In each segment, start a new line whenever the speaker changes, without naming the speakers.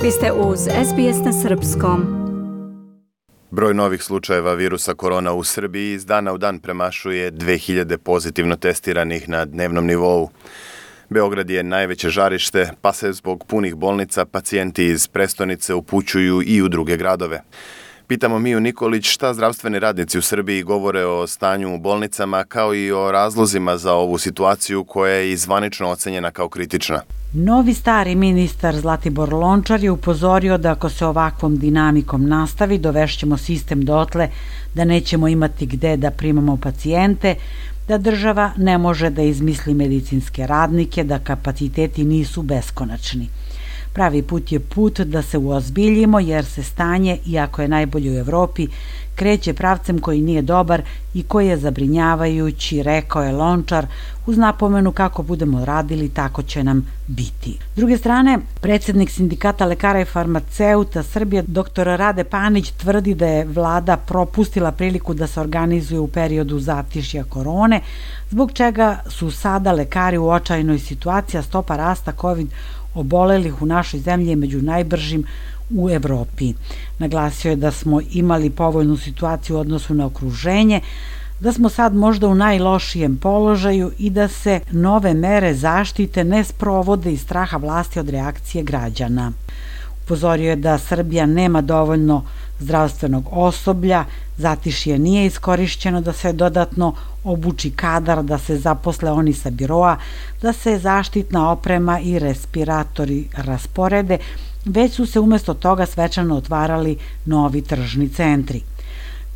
Vi ste uz SBS na srpskom.
Broj novih slučajeva virusa korona u Srbiji iz dana u dan premašuje 2000 pozitivno testiranih na dnevnom nivou. Beograd je najveće žarište, pa se zbog punih bolnica pacijenti iz prestonice upućuju i u druge gradove. Pitamo Miju Nikolić šta zdravstveni radnici u Srbiji govore o stanju u bolnicama kao i o razlozima za ovu situaciju koja je i zvanično ocenjena kao kritična.
Novi stari ministar Zlatibor Lončar je upozorio da ako se ovakvom dinamikom nastavi, dovešćemo sistem dotle da nećemo imati gde da primamo pacijente, da država ne može da izmisli medicinske radnike, da kapaciteti nisu beskonačni. Pravi put je put da se uozbiljimo jer se stanje, iako je najbolje u Evropi, kreće pravcem koji nije dobar i koji je zabrinjavajući, rekao je Lončar, uz napomenu kako budemo radili, tako će nam biti. S druge strane, predsjednik Sindikata lekara i farmaceuta Srbije, dr. Rade Panić, tvrdi da je vlada propustila priliku da se organizuje u periodu zatišja korone, zbog čega su sada lekari u očajnoj situaciji, a stopa rasta COVID obolelih u našoj zemlji je među najbržim u Evropi. Naglasio je da smo imali povoljnu situaciju u odnosu na okruženje, da smo sad možda u najlošijem položaju i da se nove mere zaštite ne sprovode iz straha vlasti od reakcije građana. Upozorio je da Srbija nema dovoljno zdravstvenog osoblja, zatišje nije iskorišćeno da se dodatno obuči kadar, da se zaposle oni sa biroa, da se zaštitna oprema i respiratori rasporede, već su se umjesto toga svečano otvarali novi tržni centri.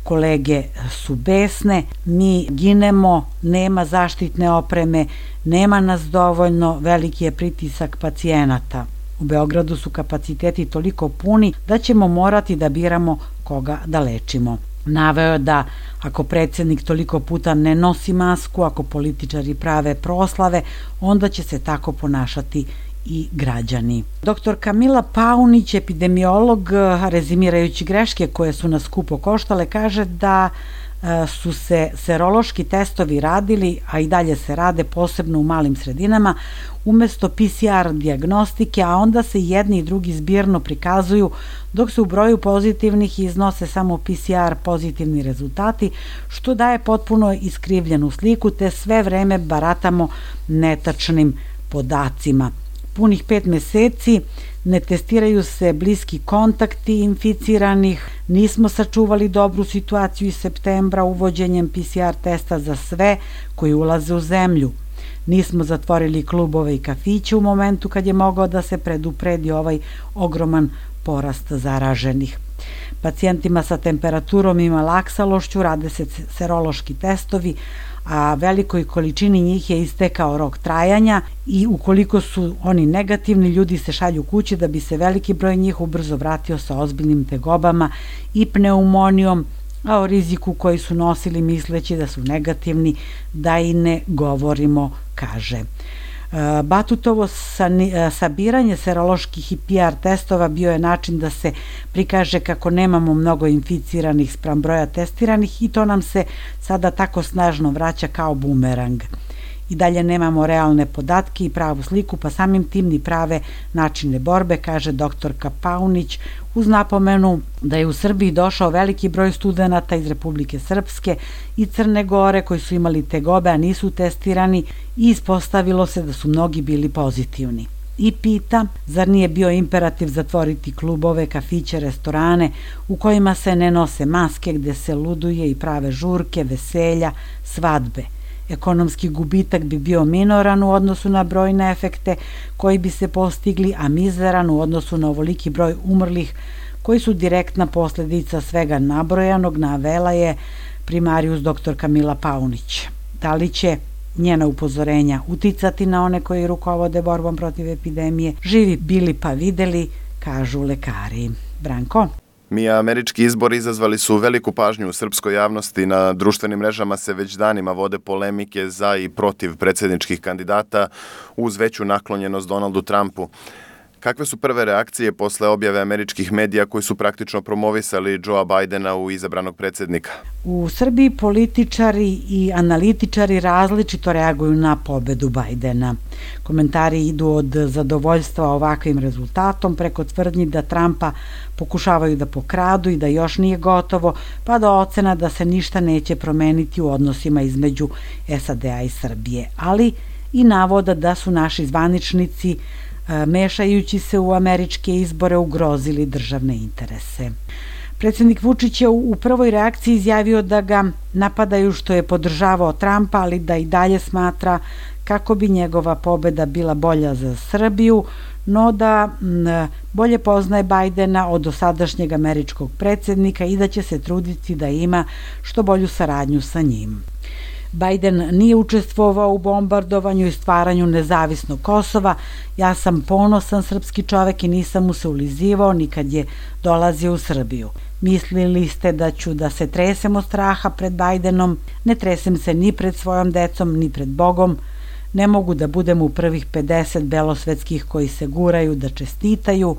Kolege su besne, mi ginemo, nema zaštitne opreme, nema nas dovoljno, veliki je pritisak pacijenata. U Beogradu su kapaciteti toliko puni da ćemo morati da biramo koga da lečimo. Naveo je da ako predsjednik toliko puta ne nosi masku, ako političari prave proslave, onda će se tako ponašati i građani. Dr. Kamila Paunić, epidemiolog, rezimirajući greške koje su nas skupo koštale, kaže da su se serološki testovi radili, a i dalje se rade posebno u malim sredinama, umesto PCR dijagnostike, a onda se jedni i drugi zbirno prikazuju, dok se u broju pozitivnih iznose samo PCR pozitivni rezultati, što daje potpuno iskrivljenu sliku, te sve vreme baratamo netačnim podacima. Punih 5 meseci ne testiraju se bliski kontakti inficiranih, nismo sačuvali dobru situaciju iz septembra uvođenjem PCR testa za sve koji ulaze u zemlju. Nismo zatvorili klubove i kafiće u momentu kad je mogao da se predupredi ovaj ogroman porast zaraženih. Pacijentima sa temperaturom i malaksalošću rade se serološki testovi, a velikoj količini njih je istekao rok trajanja i ukoliko su oni negativni, ljudi se šalju kući da bi se veliki broj njih ubrzo vratio sa ozbiljnim tegobama i pneumonijom, a o riziku koji su nosili misleći da su negativni, da i ne govorimo, kaže. Batutovo sabiranje seroloških i PR testova bio je način da se prikaže kako nemamo mnogo inficiranih spram broja testiranih i to nam se sada tako snažno vraća kao bumerang. I dalje nemamo realne podatke i pravu sliku, pa samim tim ni prave načine borbe, kaže doktorka Paunić, uz napomenu da je u Srbiji došao veliki broj studenata iz Republike Srpske i Crne Gore koji su imali tegobe, a nisu testirani i ispostavilo se da su mnogi bili pozitivni. I pita, zar nije bio imperativ zatvoriti klubove, kafiće, restorane u kojima se ne nose maske, gde se luduje i prave žurke, veselja, svadbe. Ekonomski gubitak bi bio minoran u odnosu na brojne efekte koji bi se postigli, a mizeran u odnosu na ovoliki broj umrlih koji su direktna posljedica svega nabrojanog, navela je primarijus dr. Kamila Paunić. Da li će njena upozorenja uticati na one koji rukovode borbom protiv epidemije? Živi bili pa videli, kažu lekari. Branko?
Mija, američki izbori izazvali su veliku pažnju u srpskoj javnosti. Na društvenim mrežama se već danima vode polemike za i protiv predsjedničkih kandidata uz veću naklonjenost Donaldu Trumpu. Kakve su prve reakcije posle objave američkih medija koji su praktično promovisali Joea Bidena u izabranog predsjednika?
U Srbiji političari i analitičari različito reaguju na pobedu Bidena. Komentari idu od zadovoljstva ovakvim rezultatom preko tvrdnji da Trumpa pokušavaju da pokradu i da još nije gotovo, pa do ocena da se ništa neće promeniti u odnosima između SAD-a i Srbije, ali i navoda da su naši zvaničnici mešajući se u američke izbore ugrozili državne interese. Predsjednik Vučić je u prvoj reakciji izjavio da ga napadaju što je podržavao Trumpa, ali da i dalje smatra kako bi njegova pobeda bila bolja za Srbiju, no da bolje poznaje Bidena od dosadašnjeg američkog predsjednika i da će se truditi da ima što bolju saradnju sa njim. Biden nije učestvovao u bombardovanju i stvaranju nezavisnog Kosova. Ja sam ponosan srpski čovek i nisam mu se ulizivao ni kad je dolazio u Srbiju. Mislili ste da ću da se tresem od straha pred Bidenom? Ne tresem se ni pred svojom decom, ni pred Bogom. Ne mogu da budem u prvih 50 belosvetskih koji se guraju da čestitaju.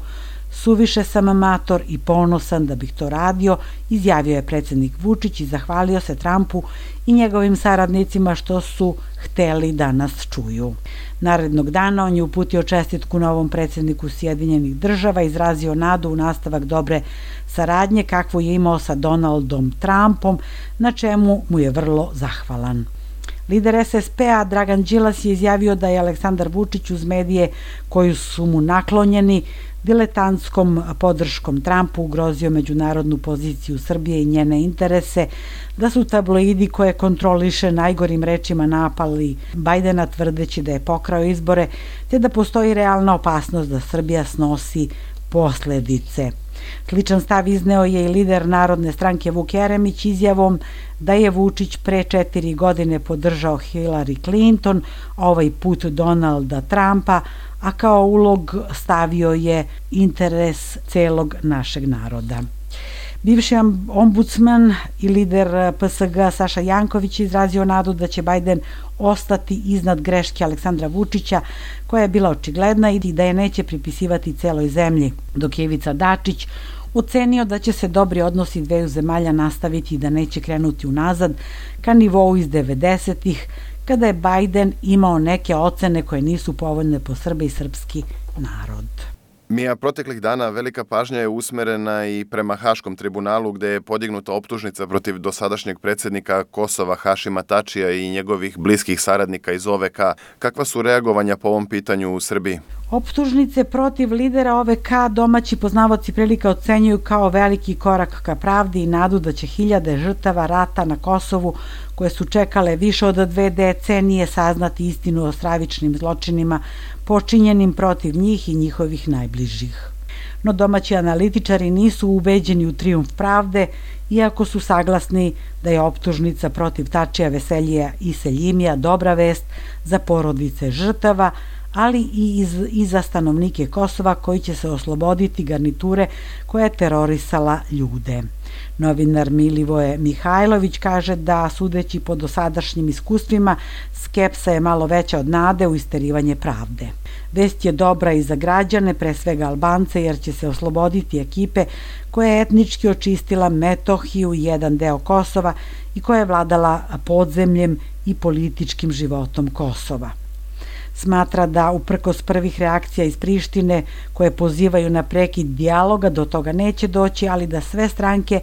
Suviše sam amator i ponosan da bih to radio, izjavio je predsjednik Vučić i zahvalio se Trumpu i njegovim saradnicima što su hteli da nas čuju. Narednog dana on je uputio čestitku novom predsjedniku Sjedinjenih Država, izrazio nadu u nastavak dobre saradnje kakvu je imao sa Donaldom Trumpom, na čemu mu je vrlo zahvalan. Lider SSP-a Dragan Đilas je izjavio da je Aleksandar Vučić uz medije koji su mu naklonjeni diletantskom podrškom Trumpu ugrozio međunarodnu poziciju Srbije i njene interese, da su tabloidi koje kontroliše najgorim rečima napali Bidena tvrdeći da je pokrao izbore, te da postoji realna opasnost da Srbija snosi posledice. Sličan stav izneo je i lider Narodne stranke Vuk Jeremić izjavom da je Vučić pre 4 godine podržao Hillary Clinton, ovaj put Donalda Trumpa, a kao ulog stavio je interes celog našeg naroda. Bivši ombudsman i lider PSG Saša Janković izrazio nadu da će Biden ostati iznad greške Aleksandra Vučića, koja je bila očigledna i da je neće pripisivati celoj zemlji, dok je Ivica Dačić ocenio da će se dobri odnosi dveju zemalja nastaviti i da neće krenuti unazad ka nivou iz 90-ih, kada je Biden imao neke ocene koje nisu povoljne po Srbe i srpski narod.
Mija, proteklih dana velika pažnja je usmerena i prema Haškom tribunalu gde je podignuta optužnica protiv dosadašnjeg predsjednika Kosova Hašima Tačija i njegovih bliskih saradnika iz OVK. Kakva su reagovanja po ovom pitanju u Srbiji?
Optužnice protiv lidera OVK domaći poznavaoci prilika ocenjuju kao veliki korak ka pravdi i nadu da će hiljade žrtava rata na Kosovu koje su čekale više od 2 decenije saznati istinu o stravičnim zločinima počinjenim protiv njih i njihovih najbližih. No domaći analitičari nisu ubeđeni u trijumf pravde, iako su saglasni da je optužnica protiv Tačija, Veseljija i Seljimija dobra vest za porodice žrtava, ali i za stanovnike Kosova koji će se osloboditi garniture koja je terorisala ljude. Novinar Milivoje Mihajlović kaže da, sudeći po dosadašnjim iskustvima, skepsa je malo veća od nade u isterivanje pravde. Vest je dobra i za građane, pre svega Albance, jer će se osloboditi ekipe koja je etnički očistila Metohiju i jedan deo Kosova i koja je vladala podzemljem i političkim životom Kosova. Smatra da uprkos prvih reakcija iz Prištine koje pozivaju na prekid dijaloga do toga neće doći, ali da sve stranke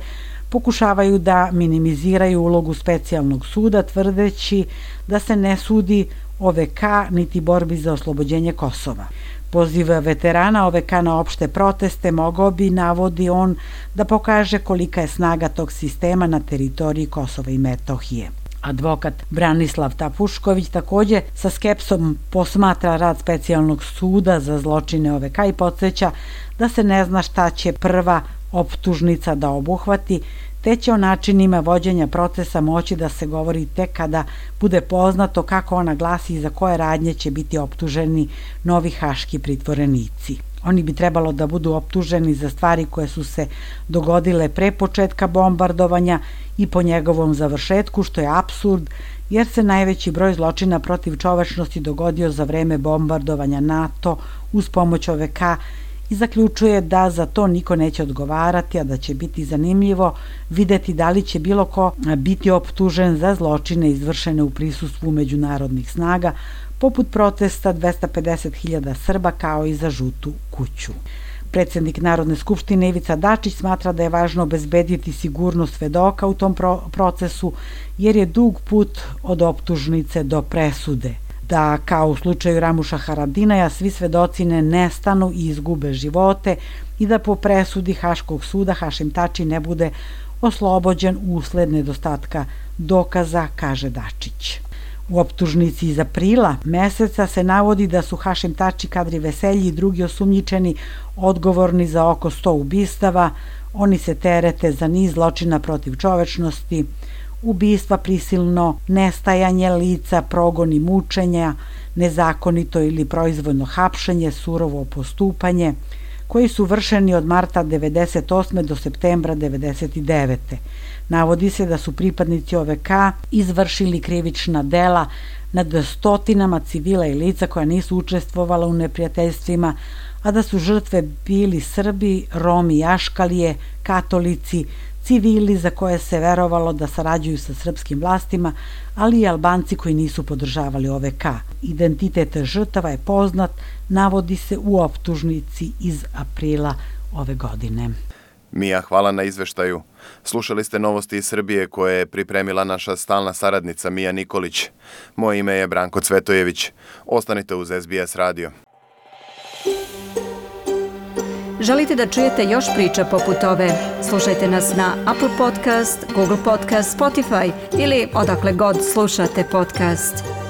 pokušavaju da minimiziraju ulogu specijalnog suda tvrdeći da se ne sudi OVK niti borbi za oslobođenje Kosova. Poziv veterana OVK na opšte proteste mogao bi, navodi on, da pokaže kolika je snaga tog sistema na teritoriji Kosova i Metohije. Advokat Branislav Tapušković takođe sa skepsom posmatra rad specijalnog suda za zločine OVK i podsjeća da se ne zna šta će prva optužnica da obuhvati, te će o načinima vođenja procesa moći da se govori tek kada bude poznato kako ona glasi i za koje radnje će biti optuženi novi haški pritvorenici. Oni bi trebalo da budu optuženi za stvari koje su se dogodile pre početka bombardovanja i po njegovom završetku, što je apsurd, jer se najveći broj zločina protiv čovečnosti dogodio za vreme bombardovanja NATO uz pomoć OVK i zaključuje da za to niko neće odgovarati, a da će biti zanimljivo videti da li će bilo ko biti optužen za zločine izvršene u prisustvu međunarodnih snaga, poput protesta 250.000 Srba kao i za žutu kuću. Predsednik Narodne skupštine Ivica Dačić smatra da je važno obezbediti sigurnost svedoka u tom procesu, jer je dug put od optužnice do presude. Da, kao u slučaju Ramuša Haradinaja, svi svedoci ne nestanu i izgube živote i da po presudi Haškog suda Hašim Tači ne bude oslobođen usled nedostatka dokaza, kaže Dačić. U optužnici iz aprila meseca se navodi da su Hašim Tači, Kadri Veselji i drugi osumnjičeni odgovorni za oko 100 ubistava. Oni se terete za niz zločina protiv čovečnosti, ubistva, prisilno nestajanje lica, progon i mučenja, nezakonito ili proizvoljno hapšenje, surovo postupanje, koji su vršeni od marta 1998. do septembra 1999. Navodi se da su pripadnici OVK izvršili krivična dela nad stotinama civila i lica koja nisu učestvovala u neprijateljstvima, a da su žrtve bili Srbi, Romi, Jaškalije, katolici, civili za koje se verovalo da sarađuju sa srpskim vlastima, ali i Albanci koji nisu podržavali OVK. Identitet žrtava je poznat, navodi se u optužnici iz aprila ove godine.
Mija, hvala na izveštaju. Slušali ste novosti iz Srbije koje je pripremila naša stalna saradnica Mija Nikolić. Moje ime je Branko Cvetojević. Ostanite uz SBS radio.
Želite da čujete još priča poput ove? Slušajte nas na Apple Podcast, Google Podcast, Spotify ili odakle god slušate podcast.